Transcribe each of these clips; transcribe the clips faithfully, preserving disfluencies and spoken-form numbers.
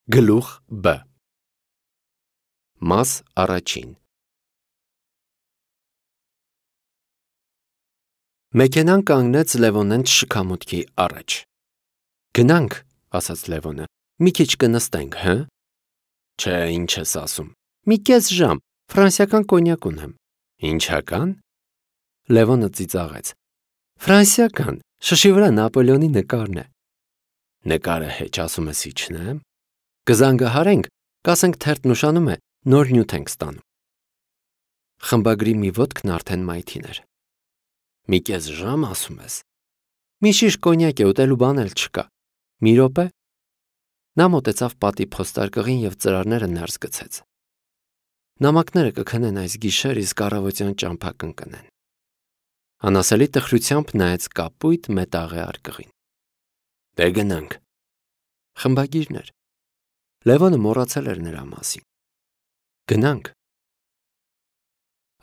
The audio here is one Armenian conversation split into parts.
Գլուխ B Մաս առաջին Մեքենան կանգնեց Լևոնեն շքամուտքի առաջ։ Գնանք, ասաց Լևոնը, մի քիչ կնստենք, հը։ Չէ, ինչ ես ասում։ Մի կես ժամ, ֆրանսիական կոնյակ ունեմ։ Ինչական։ Լևոնը ծիծաղեց։ Ֆրանսիական, շշի վրա Նապոլեոնի նկարն է։ Նկարը հեչ, ասում ես իջնեմ։ Կզանգահարենք, կասենք թերթն ուշանում է, նոր նյութ ենք ստանում։ Խմբագրի մի ոտքն արդեն մայթին էր։ Մի կես ժամ, ասում ես։ Մի շիշ կոնյակ է, ուտելու բան էլ չկա։ Մի րոպե։ Նա մոտեցավ պատի փոստարկղին և ծրարները ներս գցեց։ Նամակները կքնեն այս գիշեր, իսկ առավոտյան ճամփա կընկնեն։ Անասելի տխրությամբ նայեց կապույտ մետաղե արկղին։ Դե գնանք։ Խմբագիրն էր։ Լևոնը մոռացել էր նրա մասին։ Գնանք։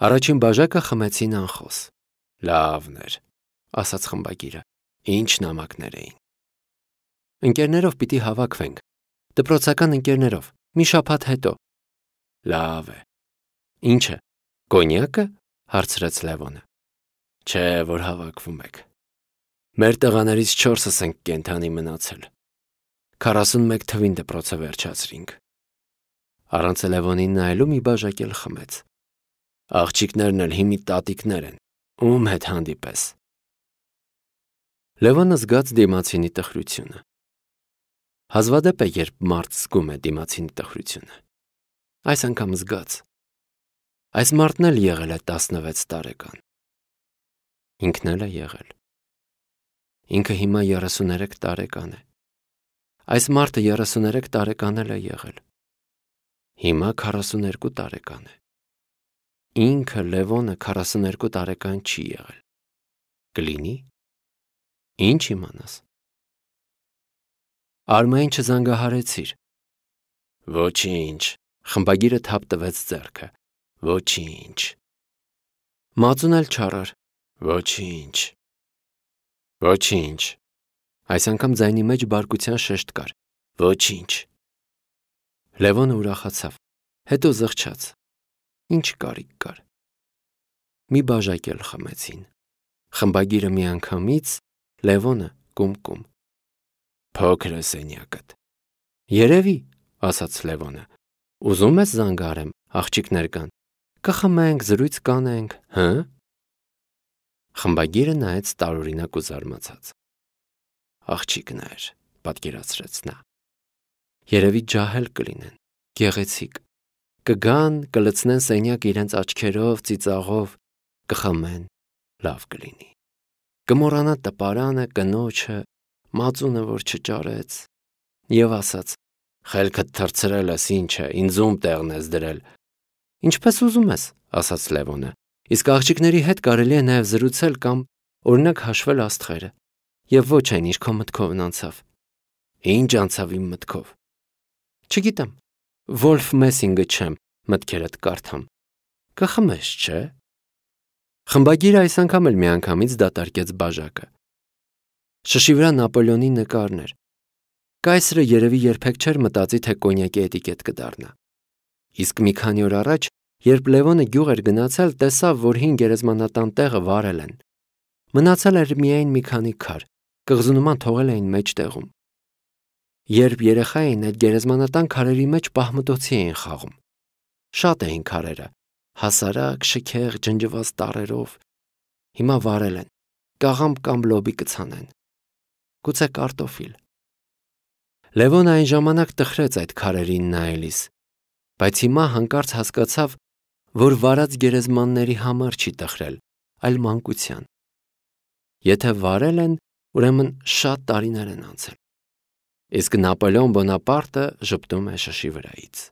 Առաջին բաժակը խմեցին անխոս։ Լավն էր, ասաց խմբագիրը։ Ինչ նամակներ էին։ Ընկերներով պիտի հավաքվենք։ Դպրոցական ընկերներով, մի շաբաթ հետո։ Լավ է։ Ինչը, կոնյակը, հարցրեց Լևոնը։ Չէ, որ հավաքվում եք։ Մեր տղաներից չորսս ենք կենդանի մնացել։ Քառասունմեկ թվին դպրոցը վերջացրինք։ Առանց Լևոնին նայելու մի բաժակ էլ խմեց։ Աղջիկներն էլ հիմի տատիկներ են, ում հետ հանդիպես։ Լևոնը զգաց դիմացինի տխրությունը։ Հազվադեպ է, երբ մարդ զգում է դիմացինի տխրությունը։ Այս անգամ զգաց։ Այս մարդն էլ եղել է տասնվեց տարեկան։ Ինքն էլ է եղել։ Ինքը հիմա երեսուներեք տարեկան է։ Այս մարդը երեսուներեք տարեկան էլ է եղել։ Հիմա քառասուներկու տարեկան է։ Ինքը Լևոնը քառասուներկու տարեկան չի եղել։ Կլինի։ Ինչ իմանաս։ Արմային չզանգահարեցիր։ Ոչինչ, խմբագիրը թափ տվեց ձեռքը։ Ոչինչ։ Մածուն էլ չարար։ Ոչինչ։ Ոչինչ։ Այս անգամ ձայնի մեջ բարկության շեշտ կար։ Ոչինչ։ Լևոնը ուրախացավ, հետո զղջաց։ Ինչ կարիք կար։ Մի բաժակ էլ խմեցին։ Խմբագիրը միանգամից, Լևոնը կում-կում։ Փոքր է սենյակդ։ Երևի, ասաց Լևոնը։ Ուզում ես զանգահարեմ, աղջիկներ կան։ Կխմենք, զրույց կանենք, հը։ Խմբագիրը նայեց տարօրինակ ու զարմացած։ Աղջիկներ, պատկերացրեց նա։ Երևի ջահել կլինեն, գեղեցիկ։ Կգան, կլցնեն սենյակը իրենց աչքերով, ծիծաղով, կխմեն, լավ կլինի։ Կմոռանա տպարանը, կնոջը, մածունը, որ չճարեց։ Եվ ասաց. Խելքդ թռցրել ես, ինչ է, ինձ ում տեղն ես դրել։ Ինչպես ուզում ես, ասաց Լևոնը։ Իսկ աղջիկների հետ կարելի է նաև զրուցել կամ օրինակ հաշվել աստղերը։ Եվ ոչ այն, ինչ քո մտքովն անցավ։ Ինչ անցավ իմ մտքով։ Չգիտեմ, Վոլֆ Մեսինգը չեմ, մտքերդ կարդամ։ Կխմես, չէ։ Խմբագիրը այս անգամ էլ միանգամից դատարկեց բաժակը։ Շշի վրա Նապոլեոնի նկարն էր։ Կայսրը երևի երբեք չէր մտածի, թե կոնյակի էտիկետ կդառնա։ Իսկ մի քանի օր առաջ, երբ Լևոնը գյուղ էր գնացել, տեսավ, որ հին գերեզմանատան տեղը վարել են։ Մնացել էր միայն մի քանի քար, կղզու նման թողել էին մեջտեղում։ Երբ երեխա էին, այդ գերեզմանատան քարերի մեջ պահմտոցի էին խաղում։ Շատ էին քարերը, հասարակ, շքեղ, ջնջված տառերով։ Հիմա վարել են, կաղամբ կամ լոբի կցանեն։ Գուցե կարտոֆիլ։ Լևոնը այն ժամանակ տխրեց այդ քարերին նայելիս, բայց հիմա հանկարծ հասկացավ, որ վարած գերեզմանների համար չի տխրել, այլ մանկության։ Եթե վարել են, ուրեմն շատ տարիներ են անցել։ Իսկ Նապոլեոն Բոնապարտը ժպտում է շշի վրայից։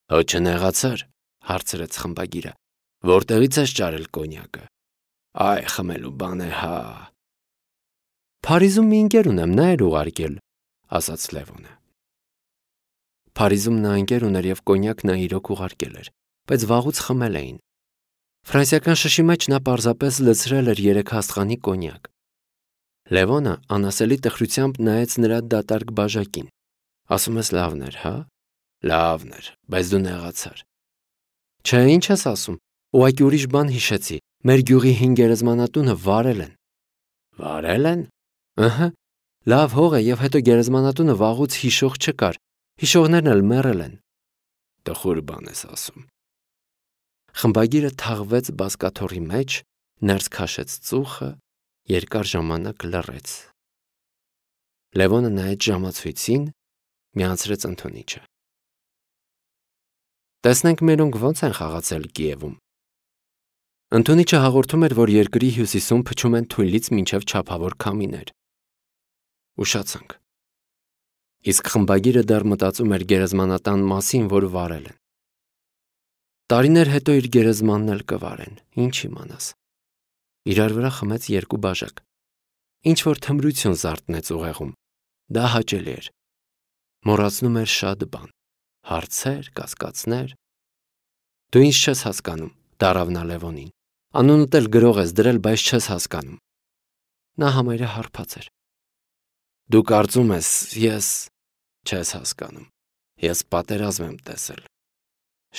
Հո չնեղացար, հարցրեց խմբագիրը, որտեղից ես ճարել կոնյակը։ Այ, խմելու բան է, հա։ Փարիզում մի ընկեր ունեմ, նա էր ուղարկել, ասաց Լևոնը։ Փարիզում նա ընկեր ուներ և կոնյակ նա իրոք ուղարկել էր, բայց վաղուց խմել էին։ Ֆրանսիական շշի մեջ նա պարզապես լցրել էր երեք հաստղանի կոնյակ։ Լևոնը անասելի տխրությամբ նայեց նրա դատարկ բաժակին, Ասում ես լավն էր, հա։ Լավն էր, բայց դու նեղացար։ Չէ, ինչ ես ասում։ Ուղղակի ուրիշ բան հիշեցի։ Մեր գյուղի հին գերեզմանատունը վարել են։ Վարել են։ Ըհը։ Լավ հող է, եւ հետո գերեզմանատունը վաղուց հիշող չկար։ Հիշողներն էլ մեռել են։ Տխուր բան ես ասում։ Խմբագիրը թաղվեց բազկաթոռի մեջ, ներս քաշեց ծուխը, երկար ժամանակ լռեց։ Լևոնը նայեց ժամացույցին, միացրեց ընդունիչը։ Տեսնենք մերոնք ոնց են խաղացել Կիևում։ Ընդունիչը հաղորդում էր, որ երկրի հյուսիսում փչում են թույլից մինչև չափավոր քամիներ։ Ուշացանք։ Իսկ խմբագիրը դեռ մտածում էր գերեզմանատան մասին, որ վարել են։ Տարիներ հետո իր գերեզմանն էլ կվարեն, ինչ իմանաս։ Իրար վրա խմեց երկու բաժակ։ Ինչ որ թմրություն զարթնեց ուղեղում։ Դա հաճելի էր։ Մոռացնում էր շատ բան։ Հարցեր, կասկածներ։ Դու ինչ չես հասկանում, դարավ նա Լևոնին։ Անունդ էլ գրող ես դրել, բայց չես հասկանում։ Նա համարյա հարբած էր։ Դու կարծում ես, ես չես հասկանում։ Ես պատերազմ եմ տեսել։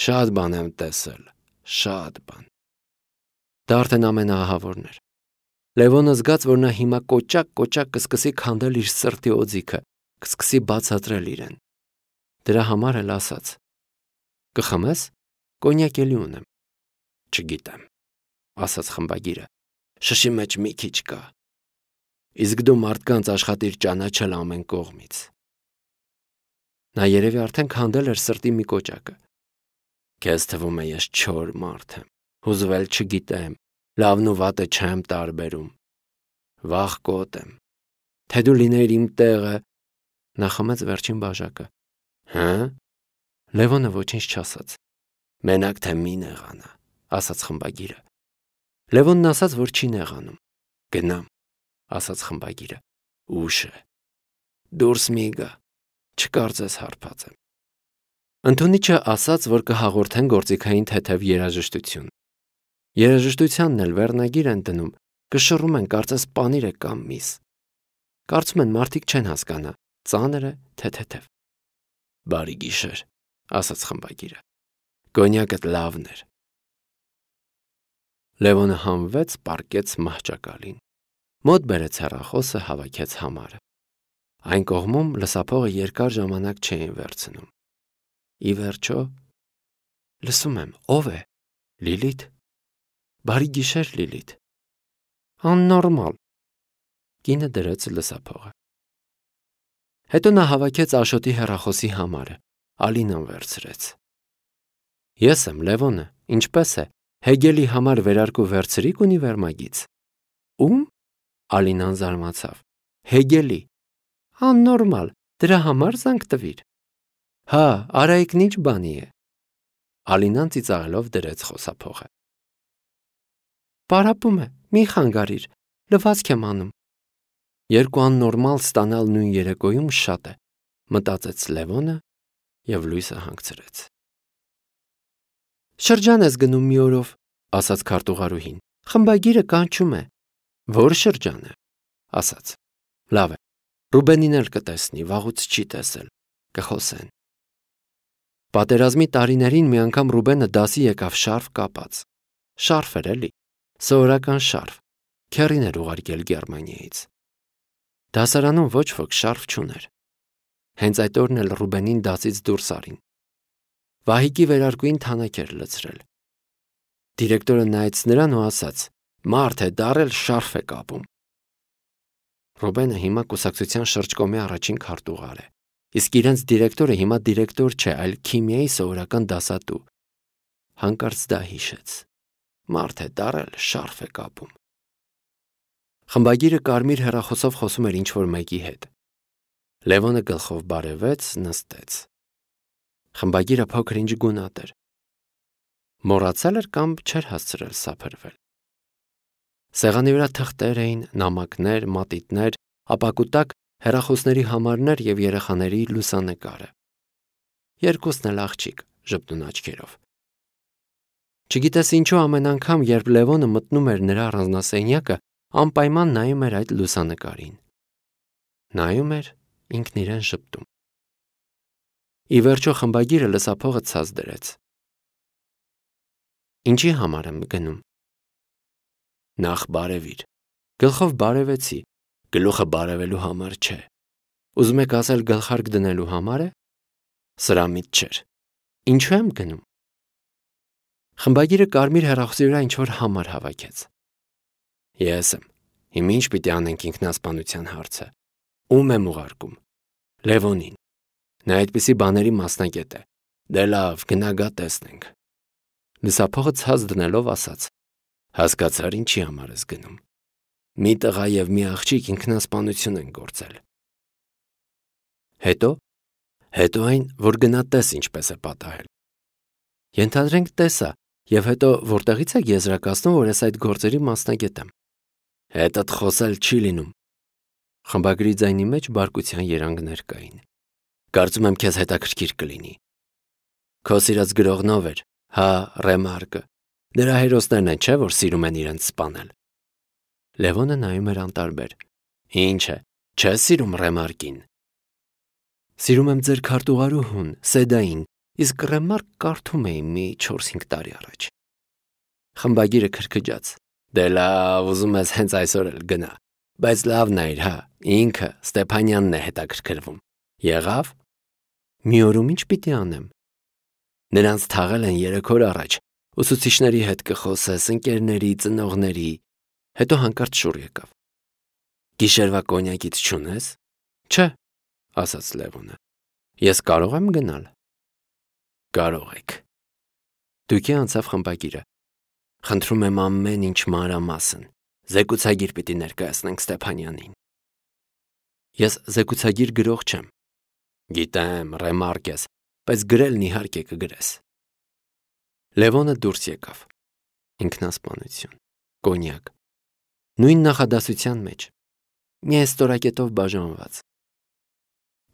Շատ բան եմ տեսել, շատ բան։ Դա արդեն ամենաահավորն էր։ Լևոնը զգաց, որ նա հիմա կոճակ-կոճակ կսկսի քանդել իր սրտի օձիքը, կսկսի բացատրել իրեն։ Դրա համար էլ ասաց. Կխմես, կոնյակ էլի ունեմ։ Չգիտեմ, ասաց խմբագիրը։ Շշի մեջ մի քիչ կա։ Իսկ դու մարդկանց աշխատիր ճանաչել ամեն կողմից։ Նա երևի արդեն քանդել էր սրտի մի կոճակը։ Քեզ թվում է ես չոր մարդ եմ, հուզվել չգիտեմ, լավն ու վատը չեմ տարբերում։ Վախկոտ եմ։ Թե դու լինեիր իմ տեղը։ Նա խմեց վերջին բաժակը։ Հա՞։ Լևոնը ոչինչ չասաց։ Մենակ թե մի նեղանա, ասաց խմբագիրը։ Լևոնն ասաց, որ չի նեղանում։ Գնամ, ասաց խմբագիրը։ Ուշ է։ Դուրս մի գա, չկարծես հարբած եմ։ Ընդունիչը ասաց, որ կհաղորդեն գործիքային թեթև երաժշտություն։ Երաժշտությանն էլ վերնագիր են դնում, կշռում են կարծես պանիր է կամ միս։ Կարծում են մարդիկ չեն հասկանա, ծանր է թե թեթև։ Բարի գիշեր, ասաց խմբագիրը։ Կոնյակդ լավն էր։ Լևոնը հանվեց, պառկեց մահճակալին։ Մոտ բերեց հեռախոսը, հավաքեց համարը։ Այն կողմում լսափողը երկար ժամանակ չէին վերցնում։ Ի վերջո, լսում եմ, ով է։ Լիլիթ։ Բարի գիշեր, Լիլիթ։ Աննորմալ։ Կինը դրեց լսափողը։ Հետո նա հավաքեց Աշոտի հեռախոսի համարը, Ալինան վերցրեց։ Ես եմ Լևոնը, ինչպես է, Հեգելի համար վերարկու վերցրիք ունիվերմագից։ Ում։ Ալինան զարմացավ։ Հեգելի։ Աննորմալ, դրա համար զանգ տվիր։ Հա, Արայիկն ինչ բանի է։ Ալինան ծիծաղելով դրեց խոսափողը։ Պարապում է, մի խանգարիր, լվացք եմ անում։ Երկու աննորմալ ստանալ նույն երեկոյում շատ է, մտածեց Լևոնը և լույսը հանգցրեց։ Շրջան ես գնում մի օրով, ասաց քարտուղարուհին, խմբագիրը կանչում է։ Որ շրջան է, ասաց։ Լավ է, Ռուբենին էլ կտեսնի, վաղուց չի տեսել, կխոսեն։ Պատերազմի տարիներին մի անգամ Ռուբենը դասի եկավ շարֆ կապած։ Շարֆ էր էլի, սովորական շարֆ, քեռին էր ուղարկել Գերմանիայից։ Դասարանում ոչ ոք շարֆ չուներ։ Հենց այդ օրն էլ Ռուբենին դասից դուրս արին։ Վահիկի վերարկուին թանաք էր լցրել։ Դիրեկտորը նայեց նրան ու ասաց. Մարդ է դառել, շարֆ է կապում։ Ռուբենը հիմա կուսակցության շրջկոմի առաջին քարտուղար է, իսկ իրենց դիրեկտորը հիմա դիրեկտոր չէ, այլ քիմիայի սովորական դասատու։ Հանկարծ դա հիշեց։ Մարդ է դառել, շարֆ է կապում։ Խմբագիրը կարմիր հեռախոսով խոսում էր ինչ-որ մեկի հետ։ Լևոնը գլխով բարևեց, նստեց։ Խմբագիրը փոքր-ինչ գունատ էր։ Մոռացել էր կամ չէր հասցրել սափրվել։ Սեղանի վրա թղթեր էին, նամակներ, մատիտներ, ապակու տակ հեռախոսների համարներ և երեխաների լուսանկարը։ Երկուսն էլ աղջիկ, ժպտուն աչքերով։ Չգիտես ինչու ամեն անգամ, երբ Լևոնը մտնում էր նրա առանձնասենյակը, անպայման նայում էր այդ լուսանկարին։ Նայում էր, ինքն իրեն ժպտում։ Ի վերջո խմբագիրը լսափողը ցած դրեց։ Ինչի համար եմ գնում։ Նախ բարևիր։ Գլխով բարևեցի, գլուխը բարևելու համար չէ։ Ուզում եք ասել գլխարկ դնելու համար է։ Սրա միտ չէր։ Ինչու եմ գնում։ Խմբագիրը կարմիր հեռախոսի վրա ինչ-որ համար հավաքեց։ Ես եմ։ Հիմա ինչ պիտի անենք ինքնասպանության հարցը։ Ում եմ ուղարկում։ Լևոնին։ Նա այդպիսի բաների մասնագետ է։ Դե լավ, գնա գա տեսնենք։ Լսափողը ցած դնելով ասաց. Հասկացար ինչի համար ես գնում։ Մի տղա եւ մի աղջիկ ինքնասպանություն են գործել։ Հետո, հետո այն, որ գնա տես ինչպես է պատահել։ Ենթադրենք տեսա, եւ հետո որտեղից եք եզրակացնում, որ ես այդ գործերի մասնագետ եմ։ Հետդ խոսել չի լինում։ Խմբագրի ձայնի մեջ բարկության երանգներ կային։ Կարծում եմ քեզ հետաքրքիր կլինի։ Քո սիրած գրողնով էր, հա, Ռեմարկը։ Դրա հերոսներն են, չէ, որ սիրում են իրենց սպանել։ Լևոնը նայում էր անտարբեր։ Ինչ է, չես սիրում Ռեմարկին։ Սիրում եմ ձեր քարտուղարուհուն, Սեդային, իսկ Ռեմարկ կարդում էի մի չորս-հինգ տարի առաջ։ Խմբագիրը քրքջաց։ Դե լավ, ուզում ես հենց այսօր էլ գնա։ Բայց լավն է, հա, ինքը Ստեփանյանն է հետաքրքրվում։ Եղավ։ Մի օրում ինչ պիտի անեմ։ Նրանց թաղել են երեք օր առաջ։ Ուսուցիչների հետ կխոսես, ընկերների, ծնողների։ Հետո հանկարծ շուռ եկավ։ Գիշերվա կոնյակից չունես։ Չէ, ասաց Լևոնը։ Ես կարող եմ գնալ։ Կարող եք։ Դուքի անցավ խմբագիրը։ Խնդրում եմ ամեն ինչ մանրամասն։ Զեկուցագիր պիտի ներկայացնենք Ստեփանյանին։ Ես զեկուցագիր գրող չեմ։ Գիտեմ, Ռեմարկ ես, բայց գրելն իհարկե կգրես։ Լևոնը դուրս եկավ։ Ինքնասպանություն, կոնյակ, նույն նախադասության մեջ, մի ստորակետով բաժանված։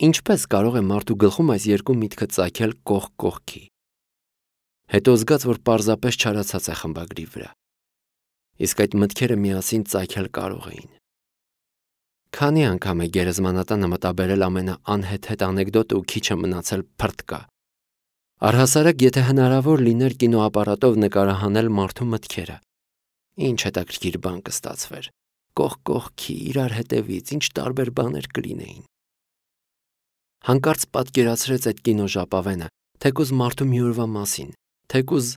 Ինչպես կարող է մարդու գլխում այս երկու միտքը ծագել կողք կողքի։ Հետո զգաց, որ պարզապես չարացած է խմբագրի վրա։ Իսկ այդ մտքերը միասին ծագել կարող էին։ Քանի անգամ է գերեզմանատանը մտաբերել ամենաանհեթեթ անեկդոտը ու քիչը մնացել փրտկա։ Առհասարակ, եթե հնարավոր լիներ կինոապարատով նկարահանել մարդու մտքերը, ինչ հետաքրքիր բան կստացվեր։ Կողք կողքի, իրար հետևից, ինչ տարբեր բաներ կլինեին։ Հանկարծ պատկերացրեց այդ կինոժապավենը, թեկուզ մարդու մի օրվա մասին, թեկուզ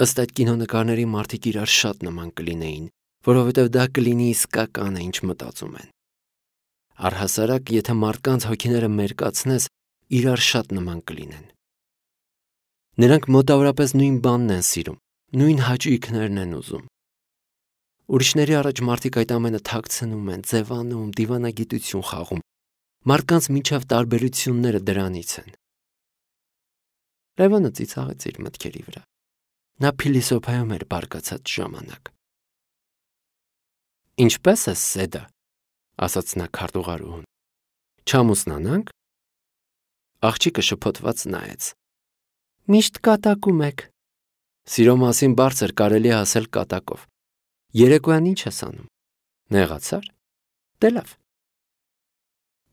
ըստ այդ կինոնկարների մարդիկ իրար շատ նման կլինեին, որովհետև դա կլինի իսկական է, ինչ մտածում են։ Առհասարակ, եթե մարդկանց հոգիները մերկացնես, իրար շատ նման կլինեն։ Նրանք մոտավորապես նույն բանն են սիրում, նույն հաճույքներն են ուզում։ Ուրիշների առաջ մարդիկ այդ ամենը թաքցնում են, ձևանում, դիվանագիտություն խաղում։ Մարդկանց միջև տարբերությունները դրանից են։ Լևոնը ծիծաղեց իր մտքերի վրա։ Նա փիլիսոփայում էր բարկացած ժամանակ։ Ինչպես է Սեդա, ասաց նա քարտուղարուհուն։ Չամուսնանանք։ Աղջիկը շփոթված նայեց։ Միշտ կատակում եք։ Սիրո մասին բարձր կարելի է ասել կատակով։ Երեկոյան ինչ ես անում։ Նեղացար։ Դե լավ։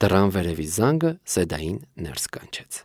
Դռան վերևի զանգը Սեդային ներս կանչեց։